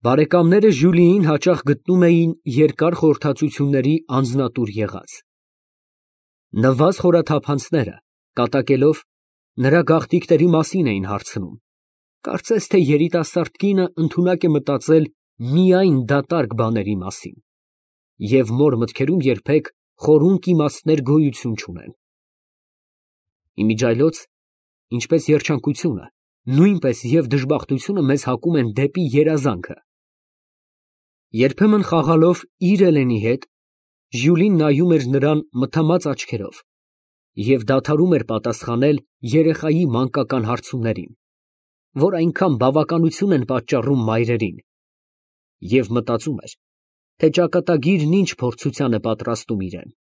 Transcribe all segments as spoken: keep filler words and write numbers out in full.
Բարեկամները Ժյուլիին հաճախ գտնում էին երկար խորհրդածությունների անձնատուր եղած։ Նվազ խորաթափանցները, կատակելով, նրա գաղտնիքների մասին էին հարցնում, կարծես թե երիտասարդ կինը ընդունակ է մտածել միայն դատարկ բաների մասին, և մոր մտքերում երբեք խորունկ իմաստներ գոյություն չունեն։ Իմիջիայլոց, ինչպես երջանկությունը, նույնպես և դժբախտությունը մեզ հակում են դեպի երազանքը։ Երբեմն խաղալով իր Էլենի հետ, Ժյուլին նայում էր նրան մթամած աչքերով և դադարում էր պատասխանել երեխայի մանկական հարցումներին, որ այնքան բավականություն են պատճառում մայրերին, և մտածում էր, թե ճակատագիրն ինչ փորձության է պատրաստում իրան։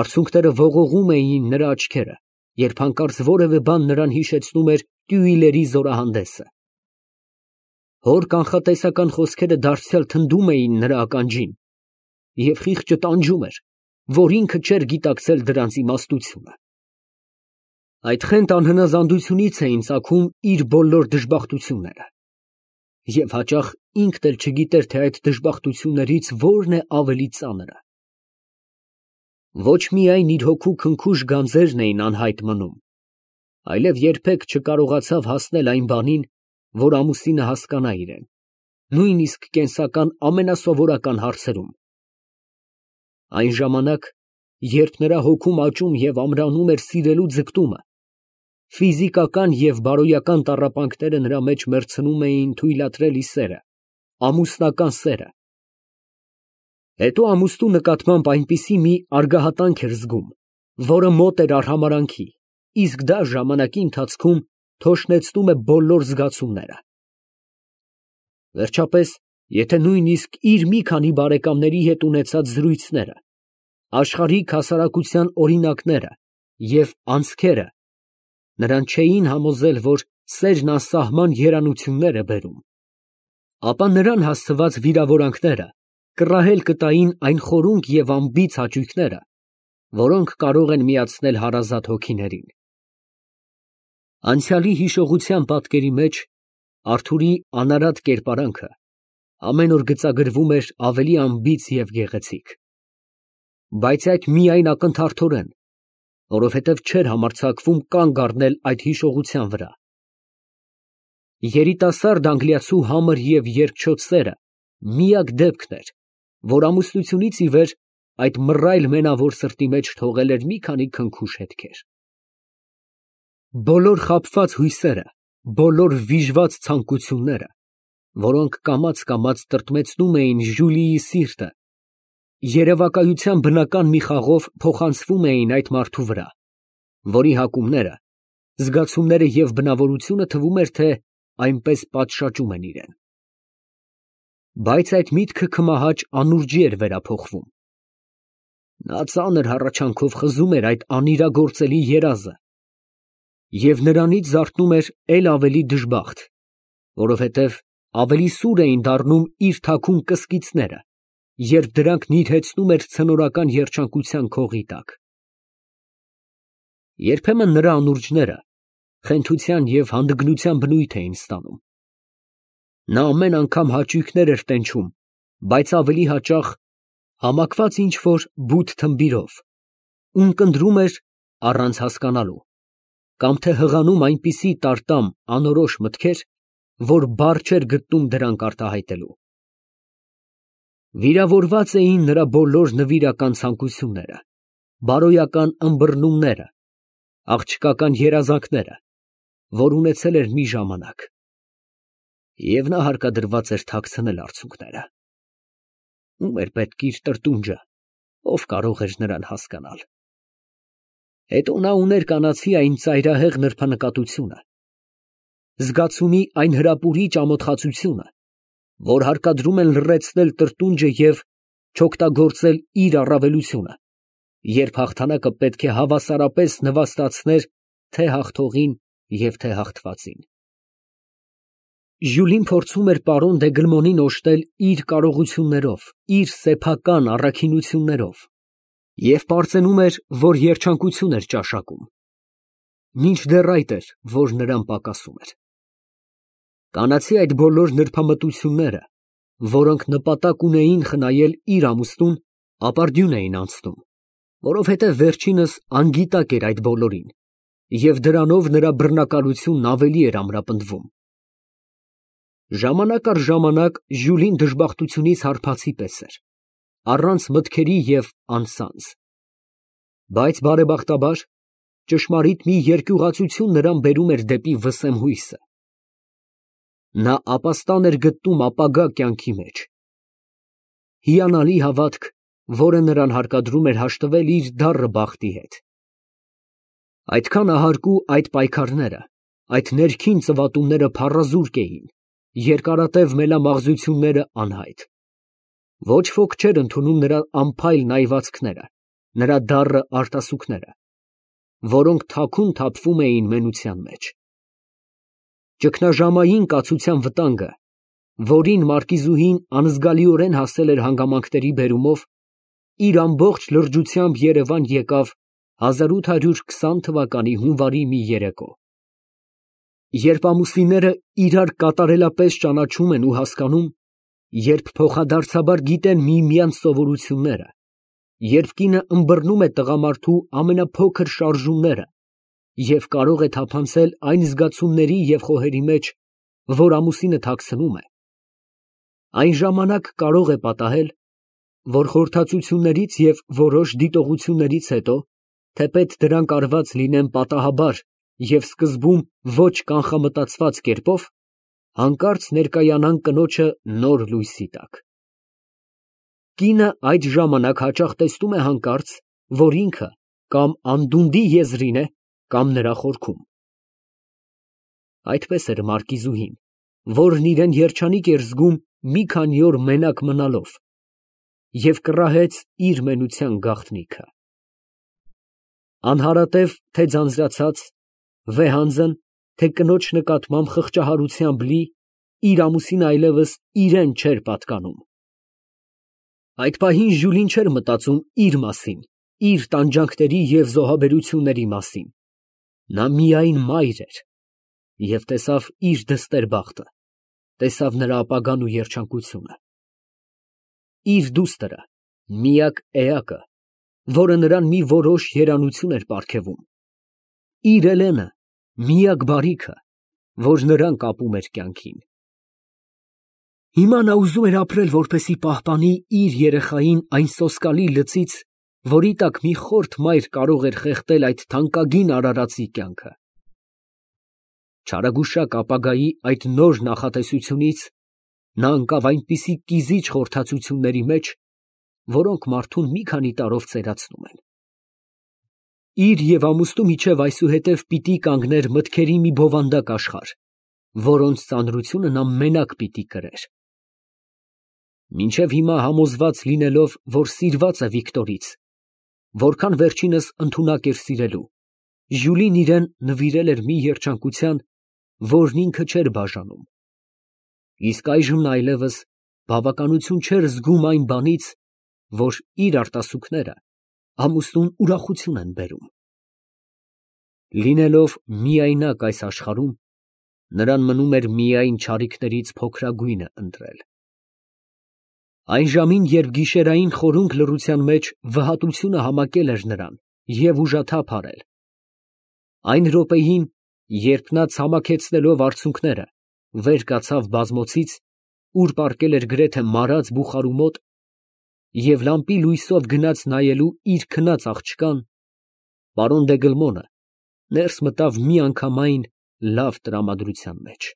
Արցունքները ողողում էին նրա աչքերը, երբ հանկարծ որևէ բան նրան հիշեցնում էր տյուիլերի զորահանդեսը։ Հոր կանխատեսական խոսքերը դարձյալ թնդում էին նրա ականջին, և խիղճը տանջում էր, որ ինքը չէր գիտակցել դրանց իմաստությունը։ Այդ խենթ անհնազանդությունից էին ծագում իր բոլոր դժբախտությունները, և հաճախ ինքն էլ չգիտեր, թե այդ դժբախտություններից որն է ավելի ծանրը։ Ոչ միայն իր հոգու քնքուշ գանձերն էին անհայտ մնում, այլև երբեք չկարողացավ հասնել այն բանին, որ ամուսինը հասկանա իրեն, նույնիսկ կենսական ամենասովորական հարցերում։ Այն ժամանակ, երբ նրա հոգում աճում և ամրանում էր սիրելու ձգտումը, ֆիզիկական և բարոյական տառապանքները նրա մեջ մեռցնում էին թույլատրելի սերը, ամուսնական սերը։ Հետո ամուսնու նկատմամբ այնպիսի մի արգահատանք էր զգում, որը մոտ էր արհամարհանքի, իսկ դա ժամանակի ընթացքում թոշնեցնում է բոլոր զգացումները։ Վերջապես, եթե նույնիսկ իր մի քանի բարեկամների հետ ունեցած զրույցները, աշխարհիկ հասարակության օրինակները և անցքերը նրան չէին համոզել, որ սերն անսահման երանություններ է բերում, ապա նրան հասցված վիրավորանքները կռահել կտային այն խորունկ և անբիծ հաճույքները, որոնք կարող են միացնել հարազատ հոգիներին։ Անցյալի հիշողության պատկերի մեջ Արթուրի անարատ կերպարանքը ամեն օր գծագրվում էր ավելի անբիծ և գեղեցիկ, բայց այդ միայն ակնթարթորեն, որովհետև չէր համարձակվում կանգ առնել այդ հիշողության վրա։ Երիտասարդ անգլիացու համր և երկչոտ սերը միակ դեպքն էր, որ ամուսնությունից ի վեր այդ մռայլ մենավոր սրտի մեջ թողել էր մի քանի քնքուշ հետքեր։ Բոլոր խաբված հույսերը, բոլոր վիժված ցանկությունները, որոնք կամաց֊կամաց տրտմեցնում էին Ժյուլիի սիրտը, երևակայության բնական մի խաղով փոխանցվում էին այդ մարդու վրա, որի հակումները, զգացումները և բնավորությունը թվում էր, թե այնպես պատշաճում են իրան։ Բայց այդ միտքը քմահաճ անուրջի էր վերափոխվում։ Նա ծանր հառաչանքով խզում էր այդ անիրագործելի երազը և նրանից զարթնում էր էլ ավելի դժբախտ, որովհետև ավելի սուր էին դառնում իր թաքուն կսկիծները, երբ դրանք նիրհեցնում էր ցնորական երջանկության քողի տակ։ Երբեմն նրա անուրջները խենթության և հանդգնության բնույթ էին ստանում։ Նա ամեն անգամ հաճույքներ էր տենչում, բայց ավելի հաճախ համակված ինչ֊որ բութ թմբիրով, ունկնդրում էր առանց հասկանալու, կամ թե հղանում այնպիսի տարտամ անորոշ մտքեր, որ բառ չէր գտնում դրանք արտահայտելու։ Վիրավորված էին նրա բոլոր նվիրական ցանկությունները, բարոյական ըմբռնումները, աղջկական երազանքները, որ ունեցել էր մի ժամանակ, և նա հարկադրված էր թաքցնել արցունքները։ Ո՞ւմ էր պետք իր տրտունջը, ով կարող էր նրան հասկանալ։ Հետո նա ուներ կանացի այն ծայրահեղ նրբանկատությունը, զգացումի այն հրապուրիչ ամոթխածությունը, որ հարկադրում են լռեցնել տրտունջը և չօգտագործել իր առավելությունը, երբ հաղթանակը պետք է հավասարապես նվաստացներ թե հաղթողին և թե հաղթվածին։ Ժյուլին փորձում էր պարոն Դեգրմոնին օժտել իր կարողություններով, իր սեփական առաքինություններով և պարծենում էր, որ երջանկություն էր ճաշակում, մինչդեռ այդ էր, որ նրան պակասում էր։ Կանացի այդ բոլոր նրբամտությունները, որոնք նպատակ ունեին խնայել իր ամուսնուն, ապարդյուն էին անցնում, որովհետև վերջինս անգիտակ էր այդ բոլորին, և դրանով նրա բռնակալությունն ավելի էր ամրապնդվում։ Ժամանակ առ ժամանակ Ժյուլին դժբախտությունից հարբածի պես էր, առանց մտքերի և անձանց, բայց բարեբախտաբար ճշմարիտ մի երկյուղացություն նրան բերում էր դեպի վսեմ հույսը։ Նա ապաստան էր գտնում ապագա կյանքի մեջ։ Հիանալի հավատք, որը նրան հարկադրում էր հաշտվել իր դառը բախտի հետ։ Այդքան ահարկու այդ պայքարները, այդ ներքին ծվատումները փառազուրկ էին, երկարատև մելամաղձությունները անհայտ։ Ոչ ոք չէր ընդունում նրա անփայլ նայվածքները, նրա դառը արտասուքները, որոնք թաքուն թափվում էին մենության մեջ։ Ճգնաժամային կացության վտանգը, որին մարկիզուհին անզգալիորեն հասել էր հանգամանքների բերումով, իր ամբողջ լրջությամբ Երևան եկավ հազար ութ հարյուր քսան թվականի հունվարի մի երեկո։ Երբ ամուսինները իրար կատարելապես ճանաչում են ու հասկանում, երբ փոխադարձաբար գիտեն միմյանց սովորությունները, երբ կինը ըմբռնում է տղամարդու ամենափոքր շարժումները և կարող է թափանցել այն զգացումների և խոհերի մեջ, որ ամուսինը թաքցնում է, այն ժամանակ կարող է պատահել, որ խորհրդածություններից և որոշ դիտողություններից հետո, թեպետ դրանք արված լինեն պատահաբար և սկզբում ոչ կանխամտածված կերպով, հանկարծ ներկայանան կնոջը նոր լույսի տակ։ Կինը այդ ժամանակ հաճախ տեսնում է հանկարծ, որ ինքը կամ անդունդի եզրին է, կամ նրա խորքում։ Այդպես էր մարկիզուհին, որն իրան երջանիկ էր զգում մի քանի օր մենակ մնալով, և կռահեց իր մենության գաղտնիքը։ Անհարատև, թե ձանձրացած, վեհանձն, թե կնոջ նկատմամբ խղճահարությամբ լի, իր ամուսինը այլևս իրան չէր պատկանում։ Այդ պահին Ժյուլին չէր մտածում իր մասին, իր տանջանքների և զոհաբերությունների մասին, նա միայն մայր էր և տեսավ իր դստեր բախտը, տեսավ նրա ապագան ու երջանկությունը։ Իր դուստրը, միակ էակը, որը նրան մի որոշ երանություն էր պարգևում, իր Էլենը, միակ բարիքը, որ նրան կապում էր կյանքին։ Հիմա նա ուզում էր ապրել, որպեսզի պահպանի իր երեխային այն սոսկալի լծից, որի տակ մի խորթ մայր կարող էր խեղդել այդ թանկագին արարածի կյանքը։ Չարագուշակ ապագայի այդ նոր նախատեսությունից նա ընկավ այնպիսի կիզիչ խորհրդածությունների մեջ, որոնք մարդուն մի քանի տարով ծերացնում են։ Իր և ամուսնու միջև այսուհետև պիտի կանգներ մտքերի մի բովանդակ աշխարհ, որոնց ծանրությունը նա մենակ պիտի կրեր։ Մինչև հիմա համոզված լինելով, որ սիրված է Վիկտորից, որքան վերջինս ընդունակ էր սիրելու, Ժյուլին իրան նվիրել էր մի երջանկության, որն ինքը չէր բաժանում։ Իսկ այժմ նա այլևս բավականություն չէր զգում այն բանից, որ իր արտասուքները ամուսնուն ուրախություն են բերում։ Լինելով միայնակ այս աշխարհում, նրան մնում էր միայն չարիքներից փոքրագույնը ընտրել։ Այն ժամին, երբ գիշերային խորունկ լռության մեջ վհատությունը համակել էր նրան և ուժաթափ արել, այն րոպեին, երբ նա ցամաքեցնելով արցունքները, վեր կացավ բազմոցից, ուր պառկել էր գրեթե մարած բուխարու մոտ, և լամպի լույսով գնաց նայելու իր քնած աղջկան, պարոն դը ներս մտավ միանգամայն լավ տրամադրության մեջ։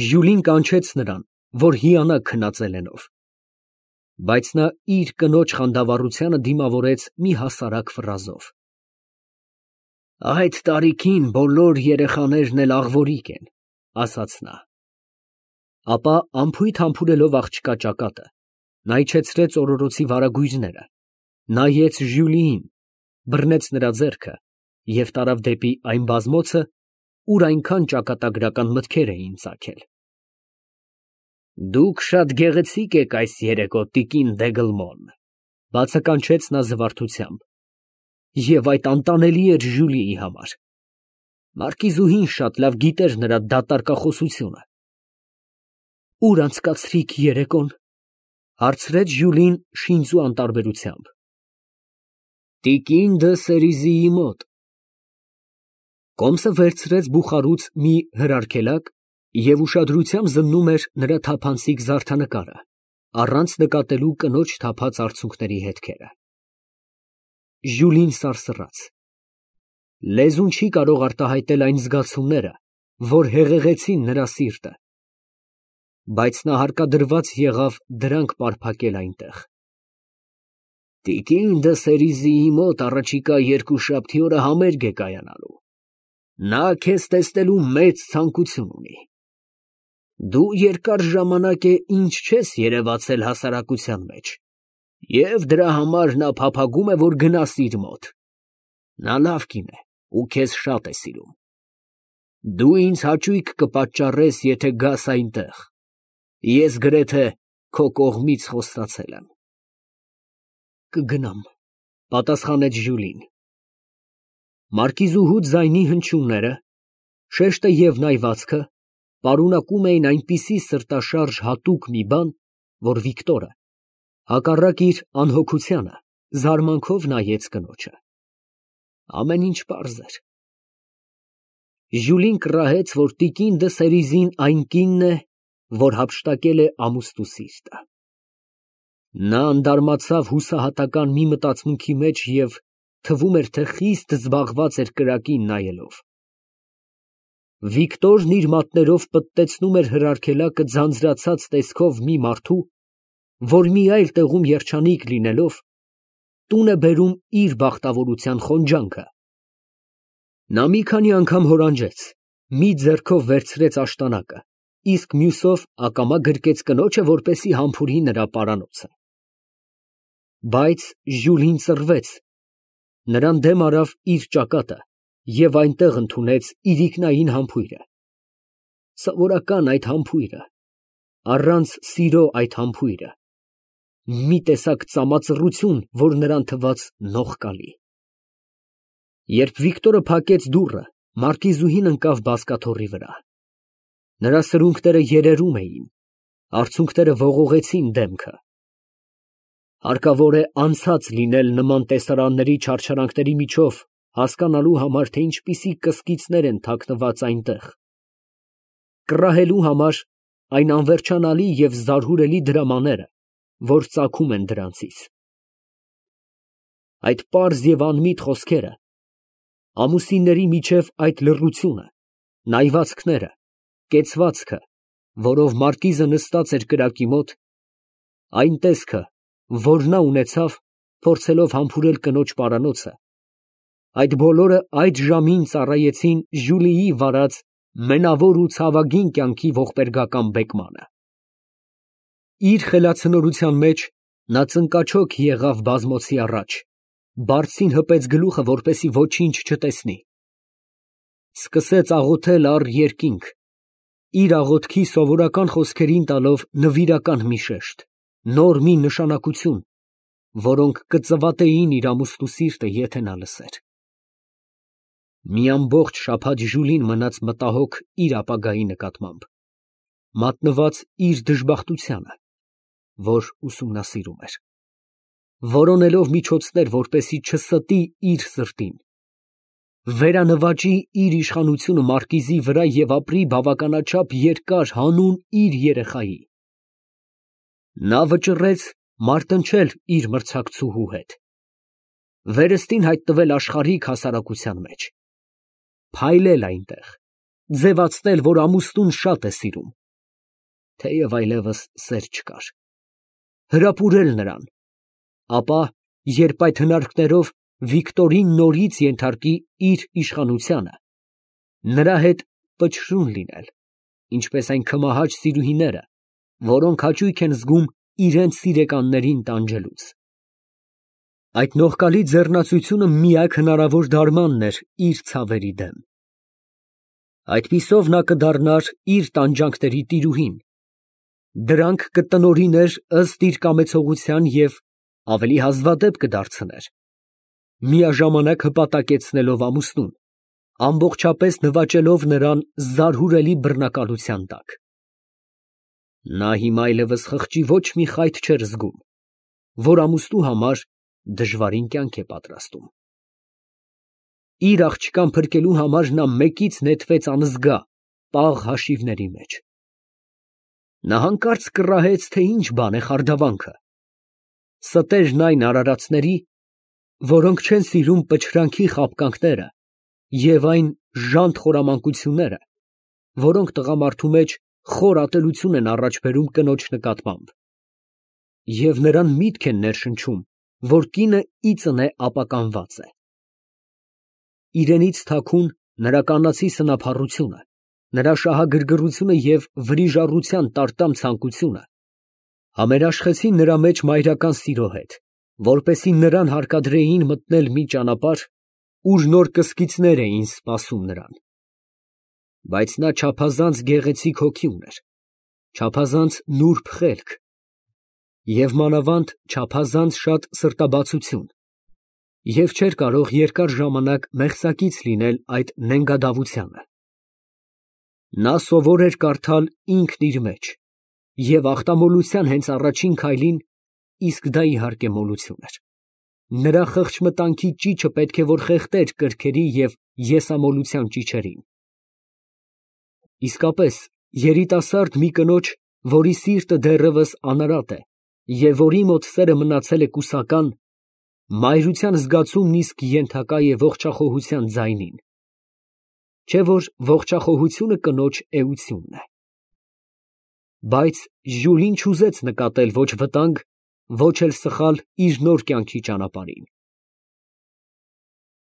Ժյուլին կանչեց նրան, որ հիանա քնած Էլենով, բայց նա իր կնոջ խանդավառությանը դիմավորեց մի հասարակ ֆրազով. «Այդ տարիքին բոլոր երեխաներն էլ աղվորիկ են», ասաց նա։ Ապա անփույթ համբուրելով աղջկա ճակատը, նա իջեցրեց օրորոցի վարագույրները, նայեց Ժյուլիին, բռնեց նրա ձեռքը և տարավ դեպի այն բազմոցը, ուր այնքան ճակատագրական մտքեր էին ծագել։ «Դուք շատ գեղեցիկ եք այս երեկո, տիկին Դեգլմոն», բացականչեց նա զվարթությամբ, և այդ անտանելի էր Ժյուլիի համար։ Մարկիզուհին շատ լավ գիտեր նրա դատարկախոսությունը։ Ուր անցկացրիք երեկոն, հարցրեց Ժյուլին շինծու անտարբերությամբ։ Տիկին դը Սերիզիի մոտ։ Կոմսը վերցրեց բուխարուց մի հրարգելակ և ուշադրությամբ զննում էր նրա թափանցիկ զարդանկարը, առանց նկատելու կնոջ թափած արցունքների հետքերը։ Ժյուլին սարսռաց։ Լեզուն չի կարող արտահայտել այն զգացումները, որ հեղեղեցին նրա սիրտը, բայց նա հարկադրված եղավ դրանք պարփակել այնտեղ։ Տիկին դը Սերիզիի մոտ առաջիկա երկուշաբթի օրը համերգ է կայանալու։ Նա քեզ տեսնելու մեծ ցանկություն ունի։ Դու երկար ժամանակ է ինչ չես երևացել հասարակության մեջ, և դրա համար նա փափագում է, որ գնաս իր մոտ։ Նա լավ կին է ու քեզ շատ է սիրում։ Դու ինձ հաճույք կպատճառես, եթե գաս այնտեղ։ Ես գրեթե քո կողմից խոստացել եմ։ Կգնամ, պատասխանեց Ժյուլին։ Մարկիզուհու ձայնի հնչյունները, շեշտը և նայվածքը պարունակում էին այնպիսի սրտաշարժ հատուկ մի բան, որ Վիկտորը, հակառակ իր անհոգությանը, զարմանքով նայեց կնոջը։ Ամեն ինչ պարզ էր։ Ժյուլին կռահեց, որ տիկին դը Սերիզին այն կինն է, որ հափշտակել է ամուսնու սիրտը։ Նա անդարմացավ հուսահատական մի մտածմունքի մեջ և թվում էր, թե խիստ զբաղված էր կրակին նայելով։ Վիկտորն իր մատներով պտտեցնում էր հրարգելակը ձանձրացած տեսքով մի մարդու, որ մի այլ տեղում երջանիկ լինելով, տուն է բերում իր բախտավորության խոնջանքը։ Նա մի քանի անգամ հորանջեց, մի ձեռքով վերցրեց աշտանակը, իսկ մյուսով ակամա գրկեց կնոջը, որպեսզի համբուրի նրա պարանոցը։ Բայց Ժյուլին ծռվեց, նրան դեմ արավ իր ճակատը և այնտեղ ընդունեց իրիկնային համբույրը։ Սովորական այդ համբույրը, առանց սիրո այդ համբույրը, մի տեսակ ծամածռություն, որ նրան թվաց նողկալի։ Երբ Վիկտորը փակեց դուռը, մարկիզուհին ընկավ բազկաթոռի վրա։ Նրա սրունքները երերում էին, արցունքները ողողեցին դեմքը։ Հարկավոր է անցած լինել նման տեսարանների չարչարանքների միջով հասկանալու համար, թե ինչպիսի կսկիծներ են թաքնված այնտեղ, կռահելու համար այն անվերջանալի և զարհուրելի դրամաները, որ ծագում են դրանցից։ Այդ պարզ և անմիտ խոսքերը, ամուսինների միջև այդ լռությունը, նայվածքները, կեցվածքը, որով մարկիզը նստած էր կրակի մոտ, այն տեսքը, որ նա ունեցավ, փորձելով համբուրել կնոջ պարանոցը, այդ բոլորը այդ ժամին ծառայեցին Ժյուլիի վարած մենավոր ու ցավագին կյանքի ողբերգական բեկմանը։ Իր խելացնորության մեջ նա ծնկաչոք եղավ բազմոցի առաջ, բարձին հպեց գլուխը, որպեսզի ոչինչ չտեսնի։ Սկսեց աղոթել առ երկինք, իր աղոթքի սովորական խոսքերին տալով նվիրական մի շեշտ, նոր մի նշանակություն, որոնք կծվատեին իր ամուսնու սիրտը, եթե նա լսեր։ Մի ամբողջ շաբաթ Ժյուլին մնաց մտահոգ իր ապագայի նկատմամբ, մատնված իր դժբախտությանը, որ ուսումնասիրում էր, որոնելով միջոցներ, որպեսզի չստի իր սրտին, վերանվաճի իր իշխանությունը մարկիզի վրա և ապրի բավականաչափ երկար հանուն իր երեխայի։ Նա վճռեց մարտնչել իր մրցակցուհու հետ, վերստին հայտնվել աշխարհիկ հասարակության մեջ, փայլել այնտեղ, ձևացնել, որ ամուսնուն շատ է սիրում, թեև այլևս սեր չկար, հրապուրել նրան, ապա, երբ այդ հնարքներով Վիկտորին նորից ենթարկի իր իշխանությանը, նրա հետ պչրուն լինել, ինչպես այն քմահաճ սիրուհիները, որոնք հաճույք են զգում իրենց սիրեկաններին տանջելուց։ Այդ նողկալի ձեռնացությունը միակ հնարավոր դարմանն էր իր ցավերի դեմ։ Այդպիսով նա կդառնար իր տանջանքների տիրուհին, դրանք կտնօրիներ ըստ իր կամեցողության և ավելի հազվադեպ կդարձներ, միաժամանակ հպատակեցնելով ամուսնուն, ամբողջապես նվաճելով նրան զարհուրելի բռնակալության տակ։ Նա հիմա այլևս խղճի ոչ մի խայթ չէր զգում, որ ամուսնու համար դժվարին կյանք է պատրաստում։ Իր աղջկան փրկելու համար նա մեկից նետվեց անզգա, պաղ հաշիվների մեջ։ Նա հանկարծ կռահեց, թե ինչ բան է խարդավանքը։ Ստերն այն արարածների, որոնք չեն սիրում պչրանքի խաբկանքները և այն ժանտ խորամանկությունները, որոնք տղամարդու մեջ խոր ատելություն են առաջ բերում կնոջ նկատմամբ, և նրան միտք են ներշնչում, որ կինը ի ծնե ապականված է։ Իրենից թաքուն նրա կանացի սնափառությունը, նրա շահագրգռությունը և վրիժառության տարտամ ցանկությունը համերաշխեցին նրա մեջ մայրական սիրո հետ, որպեսզի նրան հարկադրեին մտնել մի ճանապարհ, ուր նոր կսկիծներ էին սպասում նրան։ Բայց նա չափազանց գեղեցիկ հոգի ուներ, չափազանց նուրբ խելք և մանավանդ չափազանց շատ սրտաբացություն և չէր կարող երկար ժամանակ մեղսակից լինել այդ նենգադավությանը։ Նա սովոր էր կարդալ ինքն իր մեջ և ախտամոլության հենց առաջին քայլին (իսկ դա իհարկե մոլություն էր) նրա խղճմտանքի ճիչը պետք է որ խեղդեր կրքերի և եսամոլության ճիչերին։ Իսկապես, երիտասարդ մի կնոջ, որի սիրտը դեռևս անարատ է և որի մոտ սերը մնացել է կուսական, մայրության զգացումն իսկ ենթակա է ողջախոհության ձայնին, չէ՞ որ ողջախոհությունը կնոջ էությունն է։ Բայց Ժյուլին չուզեց նկատել ոչ վտանգ, ոչ էլ սխալ իր նոր կյանքի ճանապարհին։